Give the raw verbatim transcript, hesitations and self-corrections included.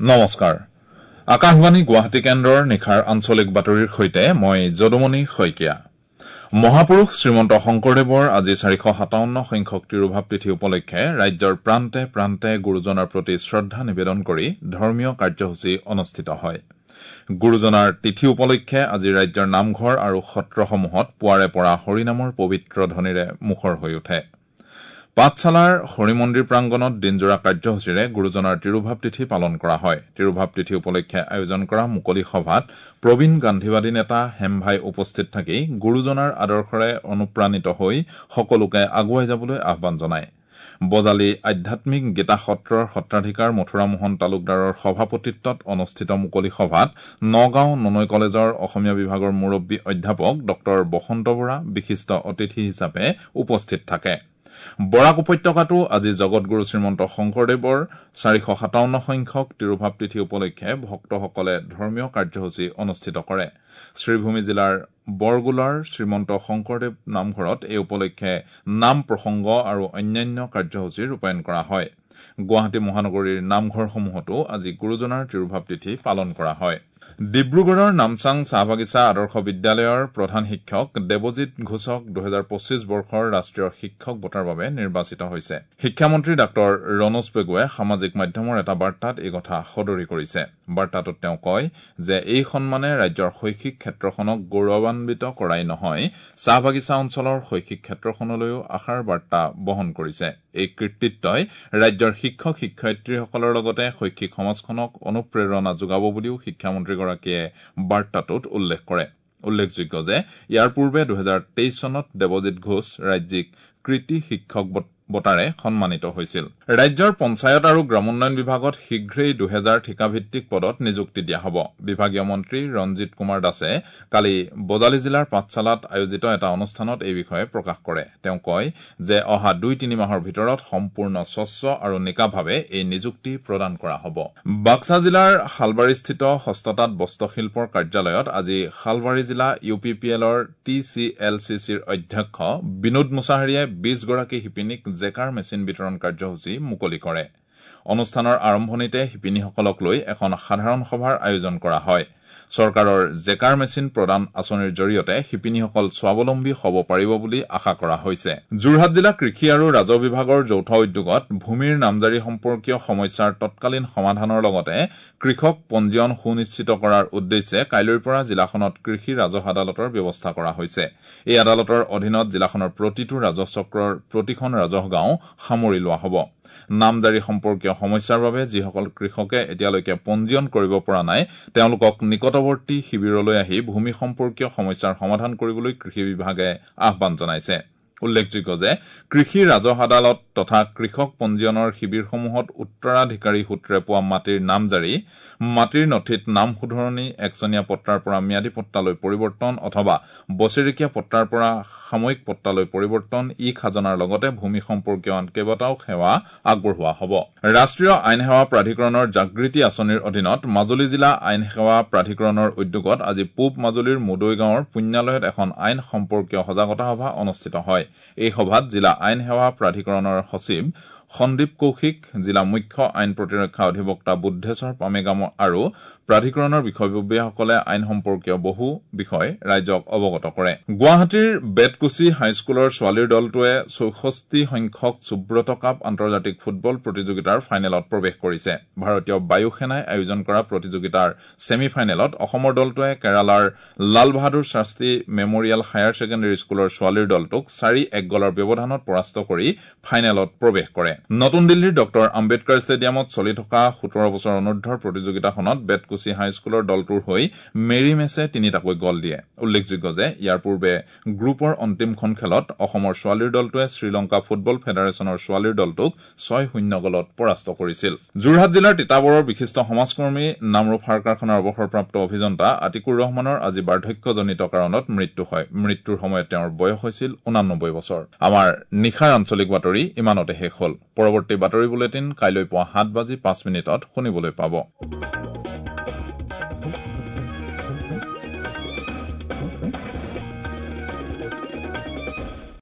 নমস্কাৰ, আকাশবাণী গুৱাহাটী কেন্দ্ৰৰ নিশাৰ আঞ্চলিক বাতৰিৰ সৈতে মই যদুমণি শইকীয়া। মহাপুৰুষ শ্ৰীমন্ত শংকৰদেৱৰ আজি চাৰিশ সাতাৱন্ন সংখ্যক তিৰোভাৱ তিথি উপলক্ষে ৰাজ্যৰ প্ৰান্তে প্ৰান্তে গুৰুজনাৰ প্ৰতি শ্ৰদ্ধা নিবেদন কৰি ধৰ্মীয় কাৰ্যসূচী অনুষ্ঠিত হয়। গুৰুজনাৰ তিথি উপলক্ষে আজি ৰাজ্যৰ নামঘৰ আৰু সত্ৰসমূহত পুৱাৰে পৰা হৰিনামৰ পবিত্ৰ ধ্বনিৰে মুখৰ হৈ উঠে। পাঠশালাৰ হৰিমন্দিৰ প্ৰাংগণত দিনজোৰা কাৰ্যসূচীৰে গুৰুজনাৰ তিৰোভাৱ তিথি পালন কৰা হয়। তিৰোভাৱ তিথি উপলক্ষে আয়োজন কৰা মুকলি সভাত প্ৰবীণ গান্ধীবাদী নেতা হেমভাই উপস্থিত থাকি গুৰুজনাৰ আদৰ্শৰে অনুপ্ৰাণিত হৈ সকলোকে আগুৱাই যাবলৈ আহ্বান জনায়। বজালী আধ্যাত্মিক গীতা সত্ৰৰ সত্ৰাধিকাৰ মথুৰামোহন তালুকদাৰৰ সভাপতিত্বত অনুষ্ঠিত মুকলি সভাত নগাঁও ননৈ কলেজৰ অসমীয়া বিভাগৰ মুৰব্বী অধ্যাপক ডঃ বসন্ত বৰা বিশিষ্ট অতিথি হিচাপে উপস্থিত থাকে। বৰাক উপত্যকাতো আজি জগতগুৰু শ্ৰীমন্ত শংকৰদেৱৰ চাৰিশ সাতাৱন্ন সংখ্যক তিৰোভাৱ তিথি উপলক্ষে ভক্তসকলে ধৰ্মীয় কাৰ্যসূচী অনুষ্ঠিত কৰে। শ্ৰীভূমি জিলাৰ বৰগোলাৰ শ্ৰীমন্ত শংকৰদেৱ নামঘৰত এই উপলক্ষে নাম প্ৰসংগ আৰু অন্যান্য কাৰ্যসূচী ৰূপায়ণ কৰা হয়। গুৱাহাটী মহানগৰীৰ নামঘৰসমূহতো আজি গুৰুজনাৰ তিৰোভাৱ তিথি পালন কৰা হয়। ডিব্ৰুগড়ৰ নামচাং চাহ বাগিচা আদৰ্শ বিদ্যালয়ৰ প্ৰধান শিক্ষক দেৱজিৎ ঘোষক দুহেজাৰ পঁচিছ বৰ্ষৰ ৰাষ্ট্ৰীয় শিক্ষক বঁটাৰ বাবে নিৰ্বাচিত হৈছে। শিক্ষামন্ত্ৰী ডাঃ ৰণোজ পেগুৱে সামাজিক মাধ্যমৰ এটা বাৰ্তাত এই কথা সদৰি কৰিছে। বাৰ্তাটোত তেওঁ কয় যে এই সন্মানে ৰাজ্যৰ শৈক্ষিক ক্ষেত্ৰখনক গৌৰৱান্বিত কৰাই নহয়, চাহ বাগিচা অঞ্চলৰ শৈক্ষিক ক্ষেত্ৰখনলৈও আশাৰ বাৰ্তা বহন কৰিছে। এই কৃতিত্বই ৰাজ্যৰ শিক্ষক শিক্ষয়িত্ৰীসকলৰ লগতে শৈক্ষিক সমাজখনক অনুপ্ৰেৰণা যোগাব বুলিও শিক্ষামন্ত্ৰীগৰাকীয়ে বাৰ্তাটোত উল্লেখ কৰে। উল্লেখযোগ্য যে ইয়াৰ পূৰ্বে দুহেজাৰ তেইছ চনত দেৱজিৎ ঘোষ ৰাজ্যিক কৃতী শিক্ষক বঁটাৰে সন্মানিত হৈছিল। ৰাজ্যৰ পঞ্চায়ত আৰু গ্ৰামোন্নয়ন বিভাগত শীঘ্ৰেই দুহেজাৰ ঠিকাভিত্তিক পদত নিযুক্তি দিয়া হ'ব। বিভাগীয় মন্ত্ৰী ৰঞ্জিত কুমাৰ দাসে কালি বজালী জিলাৰ পাঠশালাত আয়োজিত এটা অনুষ্ঠানত এই বিষয়ে প্ৰকাশ কৰে। তেওঁ কয় যে অহা দুই তিনি মাহৰ ভিতৰত সম্পূৰ্ণ স্বচ্ছ আৰু নিকাভাৱে এই নিযুক্তি প্ৰদান কৰা হ'ব। বাক্সা জিলাৰ শালবাৰীস্থিত হস্ততাঁত বস্ত্ৰশিল্পৰ কাৰ্যালয়ত আজি শালবাৰী জিলা ইউ পি পি এলৰ টি চি এল চি চিৰ অধ্যক্ষ বিনোদ মুছাহাৰীয়ে বিশগৰাকী শিপিনীক জেকাৰ মেচিন বিতৰণ কাৰ্যসূচী মুকলি কৰে। অনুষ্ঠানৰ আৰম্ভণিতে শিপিনীসকলক লৈ এখন সাধাৰণ সভাৰ আয়োজন কৰা হয়। চৰকাৰৰ জেকাৰ মেচিন প্ৰদান আঁচনিৰ জৰিয়তে শিপিনীসকল স্বাৱলম্বী হ'ব পাৰিব বুলি আশা কৰা হৈছে। যোৰহাট জিলা কৃষি আৰু ৰাজহ বিভাগৰ যৌথ উদ্যোগত ভূমিৰ নামজাৰি সম্পৰ্কীয় সমস্যাৰ তৎকালীন সমাধানৰ লগতে কৃষক পঞ্জীয়ন সুনিশ্চিত কৰাৰ উদ্দেশ্যে কাইলৈৰ পৰা জিলাখনত কৃষি ৰাজহ আদালতৰ ব্যৱস্থা কৰা হৈছে। এই আদালতৰ অধীনত জিলাখনৰ প্ৰতিটো ৰাজহ চক্ৰৰ প্ৰতিখন ৰাজহ গাঁও সামৰি লোৱা হ'ব। নামজাৰি সম্পৰ্কীয় সমস্যাৰ বাবে যিসকল কৃষকে এতিয়ালৈকে পঞ্জীয়ন কৰিব পৰা নাই তেওঁলোকক নিকটৱৰ্তী শিবিৰলৈ আহি ভূমি সম্পৰ্কীয় সমস্যাৰ সমাধান কৰিবলৈ কৃষি বিভাগে আহ্বান জনাইছে। উল্লেখযোগ্য যে কৃষি ৰাজহ আদালত তথা কৃষক পঞ্জীয়নৰ শিবিৰসমূহত উত্তৰাধিকাৰী সূত্ৰে পোৱা মাটিৰ নামজাৰি, মাটিৰ নথিত নাম শুধৰণি, একচনীয়া পট্টাৰ পৰা ম্যাদী পট্টালৈ পৰিৱৰ্তন অথবা বছেৰেকীয়া পট্টাৰ পৰা সাময়িক পট্টালৈ পৰিৱৰ্তন, ই খাজনাৰ লগতে ভূমি সম্পৰ্কীয় আন কেইবাটাও সেৱা আগবঢ়োৱা হ'ব। ৰাষ্ট্ৰীয় আইন সেৱা প্ৰাধিকৰণৰ জাগৃতি আঁচনিৰ অধীনত মাজুলী জিলা আইন সেৱা প্ৰাধিকৰণৰ উদ্যোগত আজি পূব মাজুলীৰ মুদৈ গাঁৱৰ পুণ্যালয়ত এখন আইন সম্পৰ্কীয় সজাগতা সভা অনুষ্ঠিত হয়। এই সভাত জিলা আইন সেৱা প্ৰাধিকৰণৰ সচিব সন্দীপ কৌশিক, জিলা মুখ্য আইন প্ৰতিৰক্ষা অধিবক্তা বুদ্ধেশ্বৰ পামেগাম আৰু প্ৰাধিকৰণৰ বিষয়ববীয়াসকলে আইন সম্পৰ্কীয় বহু বিষয় ৰাইজক অৱগত কৰে। গুৱাহাটীৰ বেতকুছি হাইস্কুলৰ ছোৱালীৰ দলটোৱে চৌষষ্ঠি সংখ্যক সুব্ৰত কাপ আন্তৰ্জাতিক ফুটবল প্ৰতিযোগিতাৰ ফাইনেলত প্ৰৱেশ কৰিছে। ভাৰতীয় বায়ু সেনাই আয়োজন কৰা প্ৰতিযোগিতাৰ ছেমি ফাইনেলত অসমৰ দলটোৱে কেৰালাৰ Lal Bahadur Shastri memorial higher secondary স্কুলৰ ছোৱালীৰ দলটোক চাৰি এক গলৰ ব্যৱধানত পৰাস্ত কৰি ফাইনেলত প্ৰৱেশ কৰে। নতুন দিল্লীৰ ডঃ আম্বেদকাৰ ষ্টেডিয়ামত চলি থকা সোতৰ বছৰ অনুৰ্ধৰ প্ৰতিযোগিতাখনত বেতকুছি হাইস্কুলৰ দলটোৰ হৈ মেৰী মেছে তিনিটাকৈ গল দিয়ে। উল্লেখযোগ্য যে ইয়াৰ পূৰ্বে গ্ৰুপৰ অন্তিমখন খেলত অসমৰ ছোৱালীৰ দলটোৱে শ্ৰীলংকা ফুটবল ফেডাৰেশ্যনৰ ছোৱালীৰ দলটোক ছয় শূন্য গলত পৰাস্ত কৰিছিল। যোৰহাট জিলাৰ তিতাবৰৰ বিশিষ্ট সমাজকৰ্মী নামৰূপ সাৰ কাৰখানাৰ অৱসৰপ্ৰাপ্ত অভিযন্তা আতিকুৰ ৰহমানৰ আজি বাৰ্ধক্যজনিত কাৰণত মৃত্যু হয়। মৃত্যুৰ সময়ত তেওঁৰ বয়স হৈছিল ঊনানব্বৈ বছৰ। আমাৰ নিশাৰ আঞ্চলিক বাতৰি ইমানতে শেষ হ'ল। পৰৱৰ্তী বাতৰি বুলেটিন কাইলৈ পুৱা সাত বাজি পাঁচ মিনিটত শুনিবলৈ পাব।